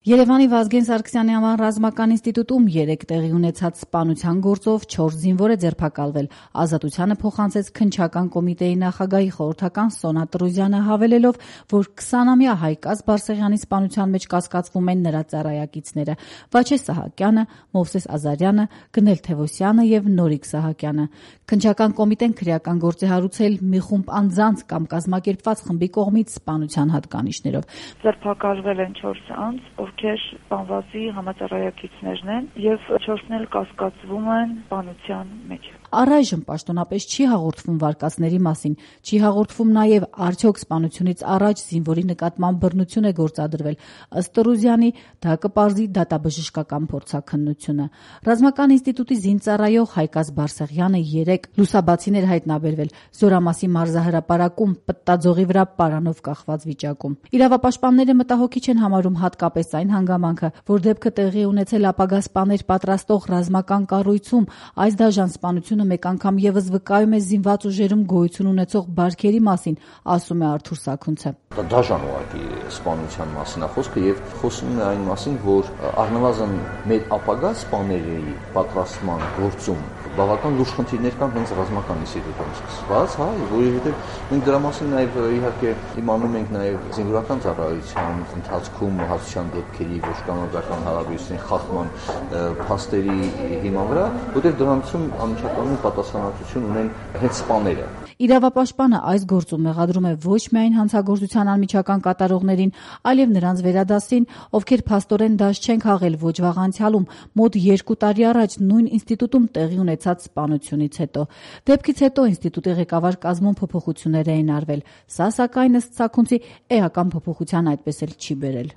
Երևանի Վազգեն Սարգսյանի անվան ռազմական ինստիտուտում 3 տեղի ունեցած սպանության գործով 4 զինվոր է ձերբակալվել։ Ազատությանը փոխանցեց քննչական կոմիտեի նախագահի խորհրդական Սոնա Տրուզյանը, հավելելով, որ 20-ամյա Հայկազ Բարսեղյանի սպանության մեջ կասկածվում են նրա ծառայակիցները՝ Վաչե Սահակյանը, Մովսես Ազարյանը, Գնել Թևոսյանը եւ Նորիկ Սահակյանը։ Քննչական կոմիտեն քրեական գործ է հարուցել մի խումբ անձանց կամ կազմակերպված խմբի կողմից սպանության հատկանիշներով։ Ձերբակալվել են 4 անձ, ովքեր սպանվածի համածառայակիցներն են եւ 4-ն էլ կասկածվում են սպանության մեջ։ Առայժմ պաշտոնապես չի հաղորդվում վարկածների մասին, չի հաղորդվում նաև արդյոք սպանությունից առաջ զինվորի նկատմամբ բռնություն է գործադրվել։ Ըստ Տրուզյանի, դա կպարզի դատաբժշկական փորձաքննությունը։ Ռազմական ինստիտուտի զինծառայող Հայկազ Բարսեղյանը 3 լուսաբացին էր հայտնաբերվել Զորամասի մարզահրապարակում պտտաձողի վրա պարանով կախված վիճակում։ Իրավապաշտպանները մտահոգիչ են համարում հատկապես այն հանգամանքը, որ դեպքը տեղի ունեցել ապագա սպաներ պատրաստող ռազմական կառույցում, այս դաժան սպանությունը մեկ անգամ եւս վկայում է զինված ուժերում գոյություն ունեցող բարքերի մասին, ասում է Արթուր Սաքունցը։ Դաժան ուղղակի սպանության մասին է խոսքը եւ խոսում է այն մասին, որ առնվազն մեր ապագա սպաների պատրաստման գործում բավական լուրջ խնդիրներ կան հենց ռազմական ինստիտուտում սկսված, որովհետեւ մենք դրա մասին նաեւ իհարկե իմանում ենք նաեւ զինվորական ծառայության ընթացքում հաշվության դեպքերի ոչ կանոնական հարաբերությունների խախտման փաստերի հիման վրա, որտեղ դրանցում անմիջականորեն պատասխանատվություն ունեն հենց սպաները։ Իրավապաշտպանը այս գործում մեղադրում է ոչ միայն հանցագործության անմիջական կատարողներին, այլև նրանց վերադասին, ովքեր փաստորեն դաշ չեն քաղել ոչ վաղ անցյալում, մոտ 2 տարի առաջ նույն ինստիտուտում տեղի ունեցած սպանությունից հետո։ Դեպքից հետո ինստիտուտի ղեկավար կազմում փոփոխություններ էին արվել։ Սա, սակայն, ըստ Սաքունցի, էական փոփոխության այդպես էլ չի բերել։